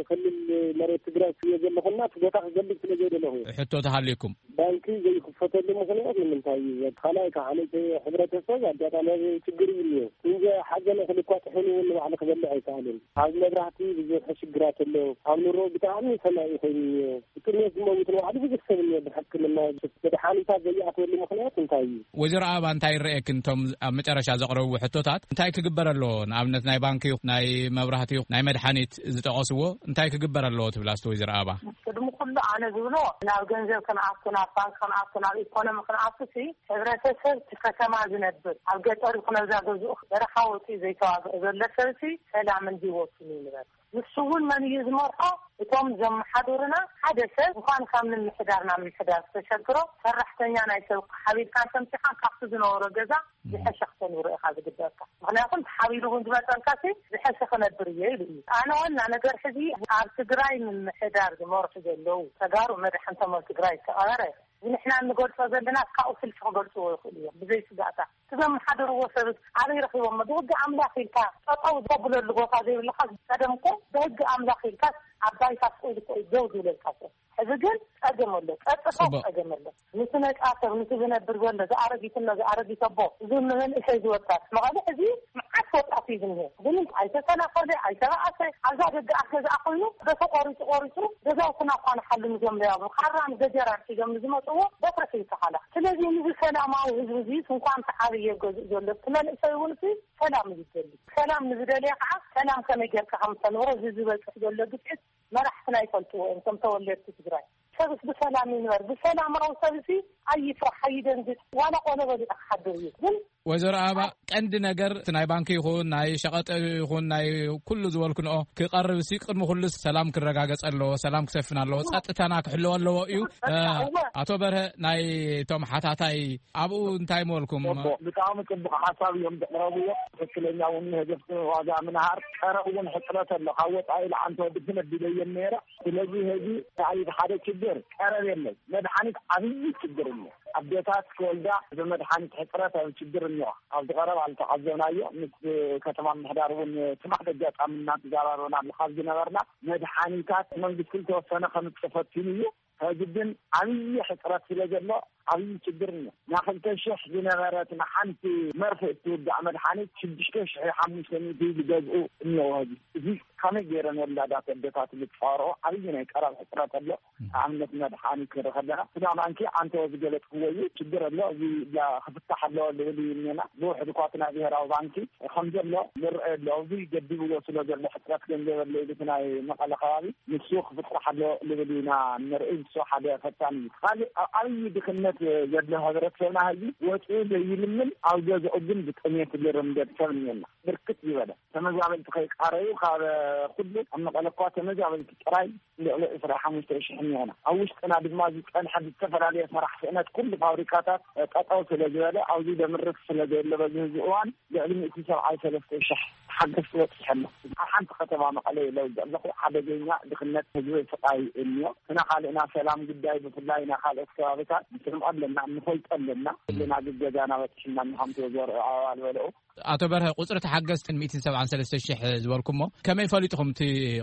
ክልል መሬት ትግራይ እየ ዘለኹና እቲ ቦታ ክገልጽ ስለ ዘይደለኹ እየ። ሕቶ ተሃልዩኩም? ባንኪ ዘይክፈተሉ ምኽንያት ንምንታይ እዩ? ካልኣይ ከዓ ነቲ ሕብረተሰብ ኣጋጣሚ ችግር እዩ እኒኦ። እንጀ ሓዘነ ክልኳ ጥሒኑ እውን ንባዕሉ ክበልዕ ኣይከኣልን። ኣብ መብራህቲ ብዙሕ ሽግራት ኣሎ። ኣብ ኑሮ ብጣዕሚ ሰማይ ኮይኑ እኒኦ። ብጥሜት ዝመውት ንባዕሉ ብዙሕ ሰብ እኒኦ። ብሕክምና መድሓኒታት ዘይኣትወሉ ምኽንያት እንታይ እዩ? ወይዘሮ ኣበባ እንታይ ይረኣየክን እቶም ኣብ መጨረሻ ዘቕረብዎ ሕቶታት እንታይ ክግበር ኣለዎ? ንኣብነት ናይ ባንኪ ይኹን ናይ መብራህቲ ይኹን ናይ መድሓኒት ዝጠቐስዎ እንታይ ክግበር ኣለዎ ትብላ እስቲ ወይዘሮ ኣበባ? ቅድሚ ኩሉ ኣነ ዝብሎ ናብ ገንዘብ ክንኣቱ ናብ ባንክ ክንኣቱ ናብ ኢኮኖሚ ክንኣቱ ሲ ሕብረተሰብ እቲ ከተማ ዝነብር ኣብ ገጠር ይኹን ኣብዛ ገዝኡ በረኻ ወፂኡ ዘይተዋግአ ዘሎ ሰብ ሲ ሰላምን ህይወቱን ይንበር። ንሱ እውን መን እዩ ዝመርሖ? እቶም ዘመሓድሩና ሓደ ሰብ እንኳን ካብ ምምሕዳር ናብ ምምሕዳር ዝተሸግሮ ሰራሕተኛ ናይ ሰብ ሓቢርካን ተምሲኻን ካብቲ ዝነበሮ ገዛ ዝሐሸ ክተንብሮ ኢኻ ዝግበርካ። ምክንያቱ ተሓቢሩ እውን ዝመፀልካ ሲ ዝሐሸ ክነብር እየ ኢሉ እዩ። ኣነ ዋና ነገር ሕዚ ኣብ ትግራይ ምምሕዳር ዝመርሑ ዘለዉ ተጋሩ መድሓን ተመን ትግራይ ዝተቐበረ ንሕና እንገልፆ ዘለና ካብኡ ስልፊ ክገልፅዎ ይኽእሉ እዮም ብዘይ ስጋእታ። እቲ ዘመሓደርዎ ሰብ ኣበይ ረኺቦሞ? ብህጊ ኣምላኽ ኢልካ ጠጠው ዘብለሉ ቦታ ዘይብልኻ ቀደም እኮ ብህጊ ኣምላኽ ኢልካ ኣብ ባይታ ስቕ ኢሉ እኮ እዩ ደው ዝብለልካ ሰብ። ሕዚ ግን ፀገም ኣሎ፣ ቀጥታ ፅቡቅ። ፀገም ኣሎ። ንቲ ነፃ ሰብ ንቲ ዝነብር ዘሎ ዝኣረጊት እኖ ዝኣረጊት ኣቦ እዚ ንመንእሰይ ዝወጣት መቐለ ሕዚ መዓት ወጣት እዩ ዝኒሀ። ግን ኣይተሰናኸለ ኣይተባኣሰ ኣብዛ ደገ ኣፍ ገዛ ኮይኑ በቲ ቆሪፁ ቆሪፁ ገዛውትና እኳ ንሓሉ ንዞም ለያቡ ካራን ገጀራን ሒዞም ንዝመፅዎ በትሪ ሒዝካ ካላ። ስለዚ ንዚ ሰላማዊ ህዝቢ እዚ እንኳን ተዓብየ ገዝእ ዘሎ እቲ መንእሰይ እውን እቲ ሰላም እዩ ዝደሊ። ሰላም ንዝደልየ ከዓ ሰላም ከመይ ጌርካ ከም ተንብሮ እዚ ዝበፅሕ ዘሎ ግፍዒት መራሕትና ይፈልጥዎ እዮም። ከም ተወለድቲ ትግራይ ሰብስ ብሰላም ይንበር። ብሰላማዊ ሰብሲ ኣይፍራሕ ኣይደንግጥ። ዋላ ቆሎ በሊዑ ክሓድር እዩ ግን ወይዘሮ ኣበባ ቀንዲ ነገር እቲ ናይ ባንኪ ይኹን ናይ ሸቐጥ ይኹን ናይ ኩሉ ዝበልክንኦ ክቐርብ ሲ ቅድሚ ኩሉ ሰላም ክረጋገፅ ኣለዎ፣ ሰላም ክሰፍን ኣለዎ፣ ፀጥታና ክሕለወ ኣለዎ እዩ። ኣቶ በርሀ ናይ እቶም ሓታታይ ኣብኡ እንታይ ምበልኩም? ብጣዕሚ ፅቡቅ ሓሳብ እዮም ዘቅረብዎ። ትክክለኛ እውን ንህዝብቲ ዋጋ ምንሃር ቀረብ እውን ሕፅረት ኣሎ። ካብ ወፃኢ ለዓንቲ ወዲ ክነቢለ እየን ነይረ። ስለዚ ህዚ እንታይ ሓደ ችግር ቀረብ የለን። መድሓኒት ዓብዪ ችግር እሎ። ኣዴታት ክወልዳ ብመድሓኒት ሕፅረት ኣብ ችግር እኒዋ። ኣብዚ ቀረብ ኣልተዓዘብናዮ ምስ ከተማ ምሕዳር እውን ትማሕ ደጋጣሚ እናተዘራረብና ካብ ዝነበርና መድሓኒታት መንግስቲ ዝተወሰነ ከምፅእ ፈቲኑ እዩ። ሕዚ ግን ዓብዪ ሕፅረት ስለ ዘሎ ዓብዪ ችግር እኒኦ። ና ክልተ ሽሕ ዝነበረት ንሓንቲ መርፌ እትውጋዕ መድሓኒት ሽዱሽተ ሽሕ ሓሙሽተ ሚእቲ ዝገዝኡ እኒኦ። ሕዚ እዚ ከመይ ገይረን ወላዳት ኣደታት ዝፃወርኦ? ዓብዪ ናይ ቀረብ ሕፅረት ኣሎ። ኣብነት መድሓኒት ክንርኢ ከለና ስጋ ባንኪ ኣንተ ዝገለፅክዎ እዩ፣ ችግር ኣሎ፣ እዚ ክፍታሕ ኣለዎ ዝብል እዩ እኒና። ብውሕድ እኳ እቲ ናይ ብሄራዊ ባንኪ ከም ዘሎ ንርአ ኣሎ። እዚ ገዲብዎ ስለ ዘሎ ሕፅረት ገንዘብ ኣሎ ኢሉ እቲ ናይ መቐለ ከባቢ ንሱ ክፍታሕ ኣሎ ዝብል ኢና ንርኢ። ንሱ ሓደ ፈታኒ እዩ። ካልእ ኣብ ዓብዪ ድኽነት ዘሎ ሕብረተሰብና ሕዚ ወፂኡ ዘይልምን ኣብ ገዝኡ ግን ብጥሜት ዝርምደድ ሰብ እኒና። ብርክት ዝበለ ተመዛበልቲ ከይቃረዩ ካብ ኩሉ ኣብ መቐለ እኳ ተመዛበልቲ ጥራይ ልዕሊ ዕስራ ሓሙሽተ ሽሕ እኒኦና። ኣብ ውሽጥና ድማ ዝፀንሐ ብዝተፈላለየ ስራሕ ስእነት ኩሉ ፋብሪካታት ጠጠው ስለ ዝበለ ኣብዚ ዘምርት ስለ ዘየለ በዚ ህዚ እዋን ልዕሊ ሚእቲ ሰብዓይ ሰለስተ ሽሕ ሓገዝ ክበፅሕ ኣሎ። ኣብ ሓንቲ ከተማ መቐለ ለውጥ ኣለኹ ሓደገኛ ድኽነት ህዝቢ ስቃይ እኒኦ። ክና ካልእና ሰላም ጉዳይ ብፍላይ ናይ ካልኦት ከባቢታት ንስምዖ ኣለና፣ ንፈልጦ ኣለና። ኩልና ግገዛና በፅሕና ንሓምቲ ወዘር ኣዋል በልዑ። ኣቶ በርሀ፣ ቁፅሪ ተሓገዝትን ሚእትን ሰብዓን ሰለስተ ሽሕ ዝበልኩሞ ከመይ ፈሊጥኹም እቲ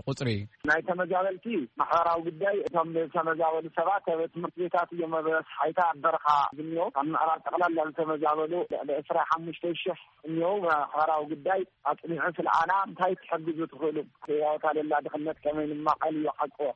ቁፅሪ? ናይ ተመዛበልቲ ማሕበራዊ ጉዳይ እቶም ዝተመዛበሉ ሰባት ኣብ ትምህርቲ ቤታት እዮም ኣብ ሓይታ ኣብ በረኻ ዝኒኦ። ኣብ ምዕራብ ጠቕላላ ዝተመዛበሉ ልዕሊ ዕስራ ሓሙሽተ ሽሕ እኒኦ። ማሕበራዊ ጉዳይ ኣፅኒዑ ስልኣና እንታይ ትሕግዙ ትኽእሉ? ያወታ ለላ ድኽነት ከመይ ንማቐል እዩ ሓቅዎ።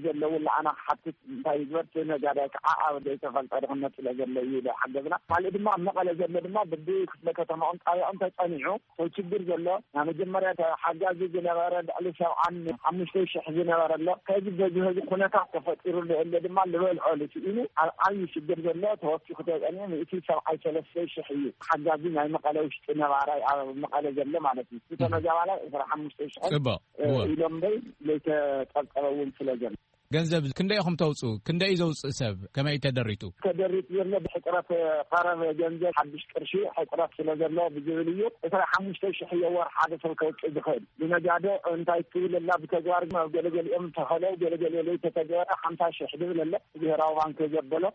ዘለዉ ለኣና ክሓትት እንታይ ይግበር? እቲ ነጋዳይ ከዓ ኣብ ዘይተፈልጠ ድኽነት ስለ ዘሎ እዩ ኢሉ ሓገዝና። ካልእ ድማ ኣብ መቐለ ዘሎ ድማ ብቢ ክፍለ ከተማኦም ጣቢያኦም ተፀኒዑ ሰው ችግር ዘሎ ናይ መጀመርያ ሓጋዚ ዝነበረ ልዕሊ ሰብዓን ሓሙሽተ ሽሕ ዝነበረ ኣሎ። ከዚ በዚ ህዚ ኩነታት ተፈጢሩ ዘሎ ድማ ዝበልዖ ልስኢኑ ኣብ ዓብዪ ሽግር ዘሎ ተወሲኹ ተፀኒዑ ሚእቲ ሰብዓይ ሰለስተ ሽሕ እዩ። ሓጋዚ ናይ መቐለ ውሽጢ ነባራይ ኣብ መቐለ ዘሎ ማለት እዩ። እቲ ተመዛባላይ ዕስራ ሓሙሽተ ሽሕ ጽቡቕ። እወ። ኢሎም ደይ ዘይተጠብጠበ እውን ስለ ዘሎ። ገንዘብ ክንደይ ኢኹም ተውፅኡ? ክንደይ እዩ ዘውፅእ ሰብ? ከመይ እዩ ተደሪቱ? ተደሪቱ ዘሎ ብሕፅረት ቀረብ ገንዘብ ሓድሽ ቅርሺ ሕፅረት ስለ ዘሎ ብዝብል እዩ። ዕስራ ሓሙሽተ ሽሕ እየ ወር ሓደ ሰብ ከውፅእ ዝኽእል። ብነጋዶ እንታይ ትብል ኣላ ብተግባር ግን ኣብ ገለገሊኦም ተኸለው ገለገሊኦ ዘይተተግበረ ሓምሳ ሽሕ ዝብል ኣለ ብሄራዊ ባንክ ዘበሎ።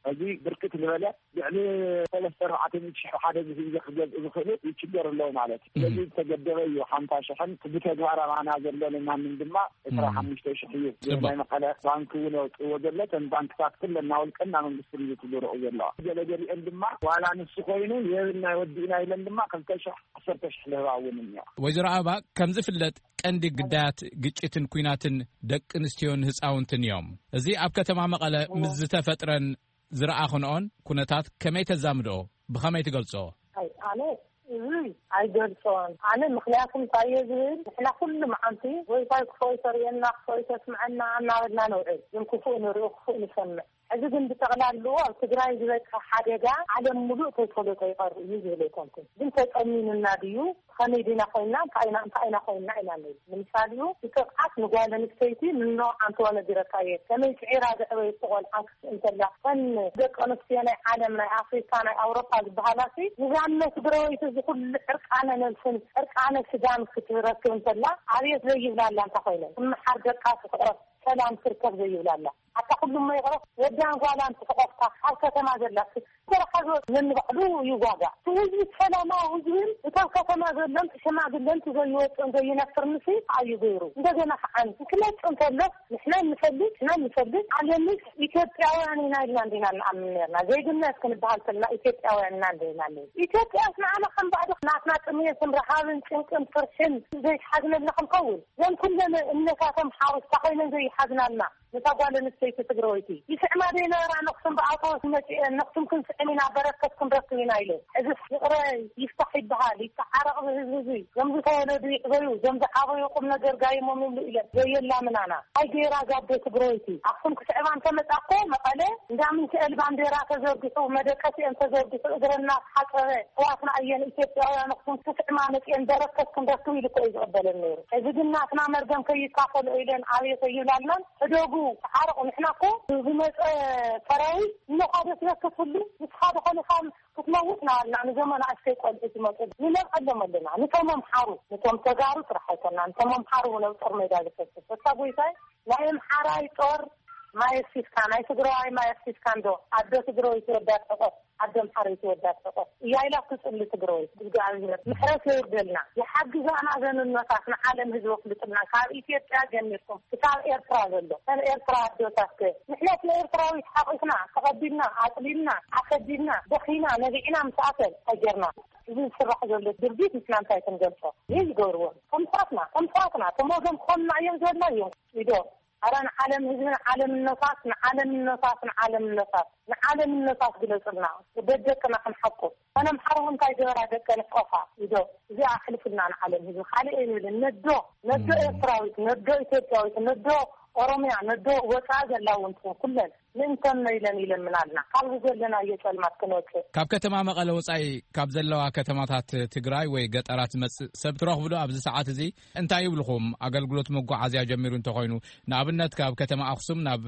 እዚ ብርክት ዝበለ ልዕሊ ሰለስተ ኣርባዕተ ሚእቲ ሽሕ ሓደ ዝህይዘ ክገዝእ ዝኽእሉ ይችገር ኣለዉ ማለት እዩ። ስለዚ ዝተገደበ እዩ ሓምሳ ሽሕን ብተግባር ኣባና ዘሎ ንማንም ድማ ዕስራ ሓሙሽተ ሽሕ እዩ። ጽቡቅ። ናይ መቐለ ባንክ እውን ኣውፅዎ ዘሎ ተን ባንክታት ኩለና ውልቅና መንግስቲ እዩ ዝትግብርኡ ዘለዋ። ገለገሊአን ድማ ዋላ ንሱ ኮይኑ የብልና ወዲእና ኢለን ድማ ክልተ ሽሕ ዓሰርተ ሽሕ ልህባ እውን እኒዋ። ወይዘሮ ኣበባ፣ ከም ዝፍለጥ ቀንዲ ግዳያት ግጭትን ኩናትን ደቂ ኣንስትዮን ህፃውንትን እዮም። እዚ ኣብ ከተማ መቐለ ምስ ዝተፈጥረን ዝረኣኽንኦን ኩነታት ከመይ ተዛምድኦ? ብኸመይ ትገልጽኦ? ኣይ፣ ኣነ እዚ ኣይገልጾን። ኣነ ምኽንያቱ እንታይ እየ ዝብል፣ ንሕና ኩሉ መዓልቲ ወይ እንታይ ክፉእ ተርእየና፣ ክፉእ ተስምዐና እናበልና ነውዕል። ግን ክፉእ ንርኢ፣ ክፉእ ንሰምዕ። ሕዚ ግን ብጠቕላልኡ ኣብ ትግራይ ዝበጽሐ ሓደጋ ዓለም ሙሉእ ተይፈለጦ ይቐር እዩ ዝብል ኣይኮንኩን። ግን ተጠሚኑና ድዩ? ከመይ ዲና ኮይና? እንታይ ኢና፣ እንታይ ኢና ኮይና? ኢና ንብል። ንምሳሌ እቲ ጥቕዓት ንጓል ኣንስተይቲ ንኖ ኣንተዋ ነጊረካ እየ። ከመይ ስዒራ ዘዕበየት ቆልዓ ክትስእን ከላ፣ እተን ደቂ ኣንስትዮ ናይ ዓለም፣ ናይ ኣፍሪካ፣ ናይ ኣውሮፓ ዝበሃላ ሲ፣ ንዛነት ብረወይቲ እዚ ኩሉ ዕርቃነ ነብስን ዕርቃነ ስጋን ክትረክብ እንከላ፣ ኣብየት ዘይብላላ እንታ ኮይነን፣ ትመሓር ደቃ ትሕቆፍ፣ ሰላም ትርከብ ዘይብላላ። ኣታ ኩሉ እሞ ይቕረፍ፣ ወዳን ጓላን ትሕቆፍካ፣ ኣብ ከተማ ዘላ ሲ፣ ተረሓዞ ነንባዕሉ ይዋጋእ። እቲ ህዝቢ ሰላማዊ ህዝብን እቶም ከተማ ዘሎን እቲ ሽማግለን እቲ ዘይወፅን ዘይነፍርን ሲ፣ ኣዩ ገይሩ። እንደገና ከዓን ክመፅእ እንከሎ ንሕና ንፈልጥ፣ ንሕና ንፈልጥ፣ ዓለምስ ኢትዮጵያውያን ኢና ኢልና እንዲና ንኣምን ነርና። ዜግነት ክንበሃል ከለና ኢትዮጵያውያን ኢና እንዲና ነርና። ኢትዮጵያስ ንዓና ከም ባዕዲ ናትና ጥምየትን ረሃብን ጭንቅን ፍርሕን ዘይትሓዝነልና ክንኸውን? ዘን ኩለን እምነታት ኣምሓሩ እስታ ኮይነን ዘይሓዝናልና ነታ ጓል ኣንስተይቲ ትግራወይቲ ይስዕማ ዘይነበራ ነኽሱን ብኣቶ መፂኤን ነኽሱን ክንስዕም ኢና በረከት ክንረክብ ኢና ኢለን። ሕዚ ይቕረ ይፍታሕ ይበሃል፣ ይተዓረቕ ብህዝቢ እዚ። ዞም ዝተወለዱ ይዕበዩ፣ ዞም ዝዓበዩ ቁም ነገር ጋይሞም ይብሉ ኢለን ዘየላምናና። ኣይ ገይራ ጋዶ ትግራወይቲ ኣኽሱም ክስዕማ እንተመፃ እኮ መቐለ እንዳ ሚካኤል ባንዴራ ተዘርጊሑ፣ መደቀሲአን ተዘርጊሑ፣ እግረና ተሓፀበ። ኣሕዋትና እየን ኢትዮጵያውያን ኣኽሱም ክስዕማ መፂአን በረከት ክንረክብ ኢሉ እኮ እዩ ዝቕበለን ነይሩ። ሕዚ ግን ናትና መርገም ከይካፈሎ ኢለን ኣቤት ኣይብላልናን። ሕደጉ፣ ተዓረቑ። ንሕና እኮ ዝመፀ ሰራዊት እሞ ካደ ስበከትሉ ምስ ሓደ ኮሊኻም ክትመውት ናበልና ንዞም ኣናእሽተይ ቆልዑ ዝመፁ ንነብዐሎም ኣለና። ንቶም ኣምሓሩ፣ ንቶም ተጋሩ ጥራሕ ኣይኮና፣ ንቶም ኣምሓሩ እውን ኣብ ጦር ሜዳ ዝፈስስ። እታ ጎይታይ ናይ ኣምሓራይ ጦር ማይ ኣፍሲስካ፣ ናይ ትግራዋይ ማይ ኣፍሲስካ እንዶ ኣደ ትግራወይቲ ወዳ ጠቆስ፣ ኣደ ኣምሓረይቲ ወዳ ጠቆስ እያ ኢላ ትጽሊ ትግራወይቲ። እግዚኣብሔር ምሕረት የውርደልና። ይሓግዛና ዘንነታት ንዓለም ህዝቢ ኣፍልጥልና። ካብ ኢትዮጵያ ጀሚርኩም ክሳብ ኤርትራ ዘሎ፣ ከም ኤርትራ ኣዶታት ከ ንሕነት ንኤርትራዊት ሓቂፍና፣ ተቐቢልና፣ ኣጽሊልና፣ ኣሰዲድና፣ ደኺና፣ ነቢዕና ምስ ኣሰል ተጀርና። እዚ ዝስራሕ ዘሎ ድርጊት ንሕና እንታይ ክንገልጾ? ይዝገብርዎ። ከምሳትና፣ ከምሳትና፣ ተሞዞም ክኾንና እዮም ዘላ እዮም። ኢዶ ኣረ ንዓለም ህዝብን ዓለምነታት፣ ንዓለምነታት፣ ንዓለምነታት፣ ንዓለምነታት ግለጽልና። ደደቅና ክንሓቁ። ኣነ ኣምሓሩ እንታይ ገበራ ደቀ ንሕቆፋ። ኢዶ እዚኣ ኣሕልፍልና ንዓለም ህዝቢ። ካልእ ኣይንብልን። ነዶ፣ ነዶ እም። ኤርትራዊት፣ ነዶ ኢትዮጵያዊት፣ ነዶ ኦሮምያ፣ ነዶ ወፃ ዘላ እውን ትኹን ኩለን ምእንተን መይለን ይለምናልና። ካብዚ ዘለናዮ ጸልማት ክንወጽእ። ካብ ከተማ መቐለ ወጻኢ ካብ ዘለዋ ከተማታት ትግራይ ወይ ገጠራት ዝመጽእ ሰብ ትረኽቡ ዶ? ኣብዚ ሰዓት እዚ እንታይ ይብልኹም? ኣገልግሎት መጓዓዝያ ጀሚሩ እንተኾይኑ፣ ንኣብነት ካብ ከተማ ኣኽሱም ናብ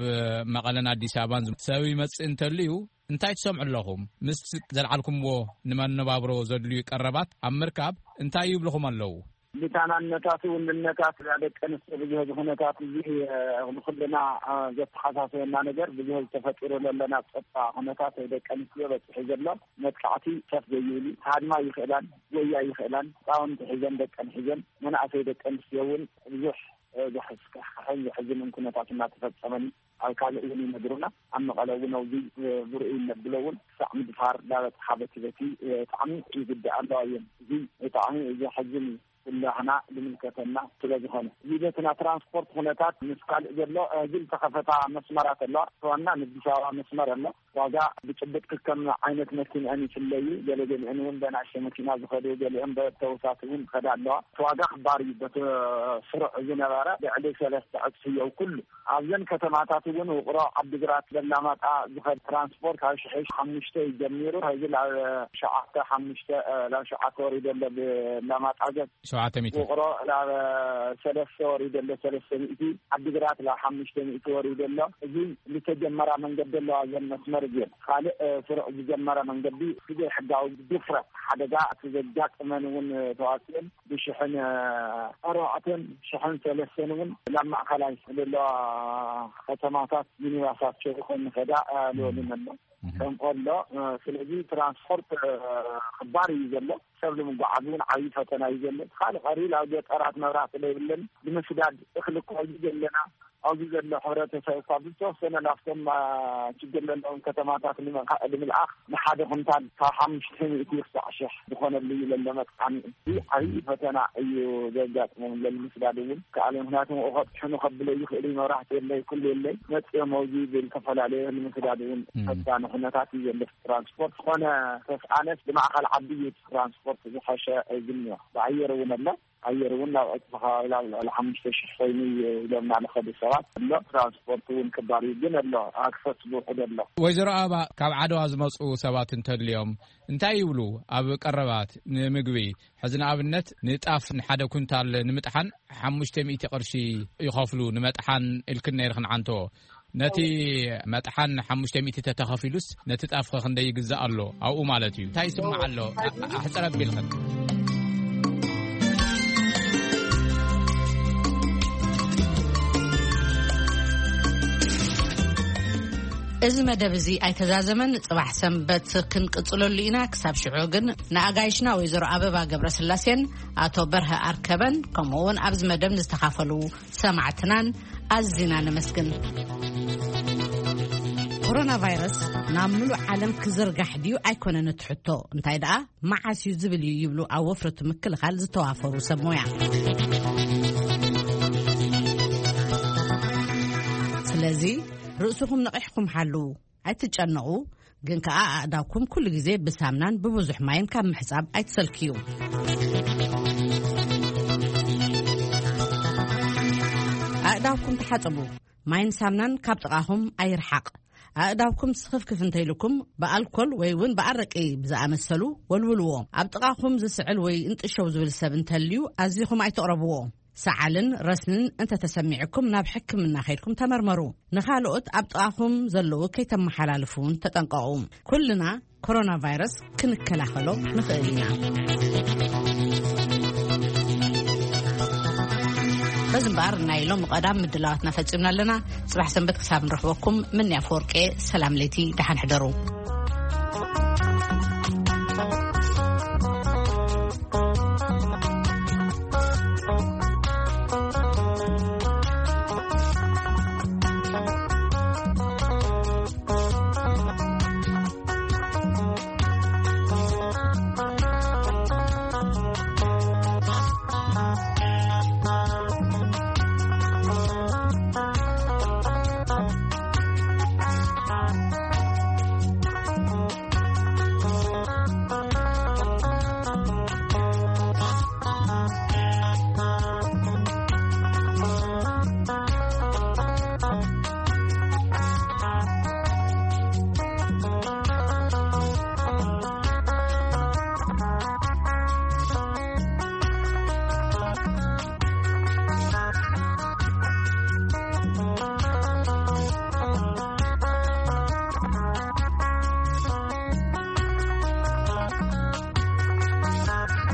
መቐለን ኣዲስ ኣበባን ሰብ ይመጽእ እንተልዩ እንታይ ትሰምዑ ኣለኹም? ምስ ዘልዓልኩምዎ ንመነባብሮ ዘድልዩ ቀረባት ኣብ ምርካብ እንታይ ይብልኹም ኣለዉ? ብታናነታት ውንነታት ደቂ ኣንስትዮ ብዙሕ እዚ ኩነታት እዚ፣ እ፣ ንኩልና፣ እ፣ ዘተሓሳሰበና ነገር ብዙሕ ዝተፈጢሩ ዘለና ጸጥታ ኩነታት ደቂ ኣንስትዮ በፂሑ ዘሎ መጥቃዕቲ ከፍ ዘይብሉ ሃድማ ይኽእላን ጎያ ይኽእላን ህፃውንቲ ሒዘን ደቀን ሒዘን መናእሰይ ደቂ ኣንስትዮ እውን ብዙሕ፣ እ፣ ዘሕስክሕን ዘሕዝንን ኩነታት እናተፈጸመን ኣብ ካልእ እውን ይነግሩና። ኣብ መቐለ እውን ኣብዚ፣ እ፣ ብርኡ ይነብሎ እውን ክሳዕ ምድፋር እንዳበፅሓ በቲ በቲ፣ እ፣ ብጣዕሚ ይጉዳእ ኣለዋ እየን። እዚ ብጣዕሚ ዘሕዝን እዩ። ኩላህና ዝምልከተና ስለ ዝኾነ። እዚ በቲ ናይ ትራንስፖርት ኩነታት ምስ ካልእ ዘሎ፣ እ፣ ህዝቢ ዝተኸፈታ መስመራት ኣለዋ። ዋና ንኣዲስ ኣበባ መስመር ኣሎ። ዋጋ ብጭብጥ ክከም ዓይነት መኪንአን ይፍለዩ። ገለገሊአን እውን በናእሽተ መኪና ዝኸዱ፣ ገሊአን በተውሳት እውን ዝኸዳ ኣለዋ። እቲ ዋጋ ክባር እዩ። በቲ ስሩዕ ዝነበረ ልዕሊ ሰለስተ ዕጽፊ እየው ኩሉ። ኣብዘን ከተማታት እውን ውቕሮ፣ ዓዲግራት፣ በላማጣ ዝኸድ ትራንስፖርት ካብ ሽሕ ሓሙሽተ እዩ ጀሚሩ። ሕዚ ናብ ሸውዓተ ሓሙሽተ፣ እ፣ ናብ ሸውዓተ ወሪዱ ኣሎ። ብላማጣ ገብ ሸውዓተ ሚእቲ። ውቕሮ ናብ ሰለስተ ወሪዱ ኣሎ፣ ሰለስተ ሚእቲ። ዓዲግራት ናብ ሓሙሽተ ሚእቲ ወሪዱ ኣሎ። እዚ ዝተጀመራ መንገዲ ኣለዋ፣ እዘን መስመር እዚአን። ካልእ፣ እ፣ ስሩዕ ዝጀመረ መንገዲ ብዘይ ሕጋዊ ድፍረት ሓደጋ እቲ ዘጋጥመን እውን ተዋፅኦን ብሽሕን፣ እ፣ ኣርባዕተን ሽሕን ሰለስተን እውን ናብ ማእኸላይ ዘለዋ ከተማታት ሚኒባሳት ሸሪኾም ንኸዳ፣ እ፣ ልወልን ኣሎ። እህ። ከምኡ ኣሎ። እ፣ ስለዚ ትራንስፖርት፣ እ፣ ክባር እዩ ዘሎ። ሰብ ንምጉዓዝ እውን ዓብዪ ፈተና እዩ ዘሎ። ካልእ ቀሪል ኣብ ገጠራት መብራህቲ ዘይብለን ንምስዳድ እኽሊ እኳ እዩ ዘለና። ኣብዚ ዘሎ ሕብረተሰብ እኳ ብዝተወሰነ ናብቶም፣ አ፣ ችግር ዘለዎም ከተማታት ንምእካ-፣ ንምልኣኽ ንሓደ ኩንታል ካብ ሓሙሽተ ሚእቲ ክሳዕ ሽሕ ዝኾነሉ እዩ ዘሎ መጥቃኒ። እዚ ዓብዪ ፈተና እዩ ዘጋጥሞም። ለምስዳድ እውን ከኣለ፣ ምክንያቱ መኡ ከብፅሑኒ ከብለይ ይኽእሉ እዩ። መብራህቲ የለይ፣ ኩሉ የለይ። መፅኦም ኣብዚ ብዝተፈላለየ ንምስዳድ እውን እም። ፈታኒ ኩነታት እዩ ዘሎ። ትራንስፖርት ዝኾነ ተስኣነስ ብማእኸል ዓዲ እዩ ትራንስፖርት ዝሐሸ ዝኒኦ። ብኣየር እውን ኣሎ። ኣየር እውን ናብ ዕፅፊ ከባቢ ናብ ልዕሊ ሓሙሽተ ሽሕ ኮይኑ እዩ ኢሎም እናለኸዱ ሰባት ኣሎ። ትራንስፖርት እውን ክባር እዩ፣ ግን ኣሎ፣ ኣክሰስ ብውሕድ ኣሎ። ወይዘሮ ኣበባ፣ ካብ ዓድዋ ዝመፁ ሰባት እንተድልዮም እንታይ ይብሉ? ኣብ ቀረባት ንምግቢ፣ ሕዚ ንኣብነት ንጣፍ ንሓደ ኩንታል ንምጥሓን ሓሙሽተ ሚእቲ ቅርሺ ይኸፍሉ፣ ንመጥሓን ኢልክን ነይርክን ዓንቶ። ነቲ መጥሓን ሓሙሽተ ሚእቲ ተተኸፊሉስ ነቲ ጣፍኸ ክንደይ ይግዛእ ኣሎ ኣብኡ ማለት እዩ? እንታይ ይስማዕ ኣሎ? ኣ-፣ ኣሕፅር ኣቢልኽን። እዚ መደብ እዚ ኣይተዛዘመን። ጽባሕ ሰንበት ክንቅጽለሉ ኢና። ክሳብ ሽዑ ግን ንኣጋይሽና ወይዘሮ ኣበባ ገብረስላሴን ኣቶ በርሀ ኣርከበን ከምኡ እውን ኣብዚ መደብ ንዝተኻፈሉ ሰማዕትናን ኣዚና ነመስግን። ኮሮና ቫይረስ ናብ ምሉእ ዓለም ክዝርጋሕ ድዩ ኣይኮነን እቲ ሕቶ፣ እንታይ ደኣ መዓስ እዩ ዝብል እዩ ይብሉ ኣብ ወፍሪ እቲ ምክልኻል ዝተዋፈሩ ሰብ ሞያ። ስለዚ ርእስኹም ነቒሕኩም ሓልዉ። ኣይትጨነቑ፣ ግን ከኣ ኣእዳውኩም ኩሉ ግዜ ብሳምናን ብብዙሕ ማይን ካብ ምሕጻብ ኣይትሰልክዩ። ኣእዳውኩም ተሓጸቡ። ማይን ሳምናን ካብ ጥቓኹም ኣይርሓቕ። ኣእዳውኩም ስኽፍክፍ እንተኢሉኩም ብኣልኮል ወይ እውን ብኣረቂ ብዝኣመሰሉ ወልውልዎ። ኣብ ጥቓኹም ዝስዕል ወይ እንጥሸው ዝብል ሰብ እንተልዩ ኣዚኹም ኣይትቕረብዎ። ሰዓልን ረስንን እንተተሰሚዕኩም ናብ ሕክምና ከይድኩም ተመርመሩ። ንኻልኦት ኣብ ጥቓኹም ዘለዉ ከይተመሓላልፉ እውን ተጠንቀቑ። ኩልና ኮሮና ቫይረስ ክንከላኸሎ ንኽእል ኢና። በዚ እምበኣር ናይ ሎም ቀዳም ምድላዋትና ፈጺምና ኣለና። ጽባሕ ሰንበት ክሳብ ንረኽበኩም፣ ምንያ ፈወርቄ፣ ሰላም ለይቲ፣ ደሓን ሕደሩ።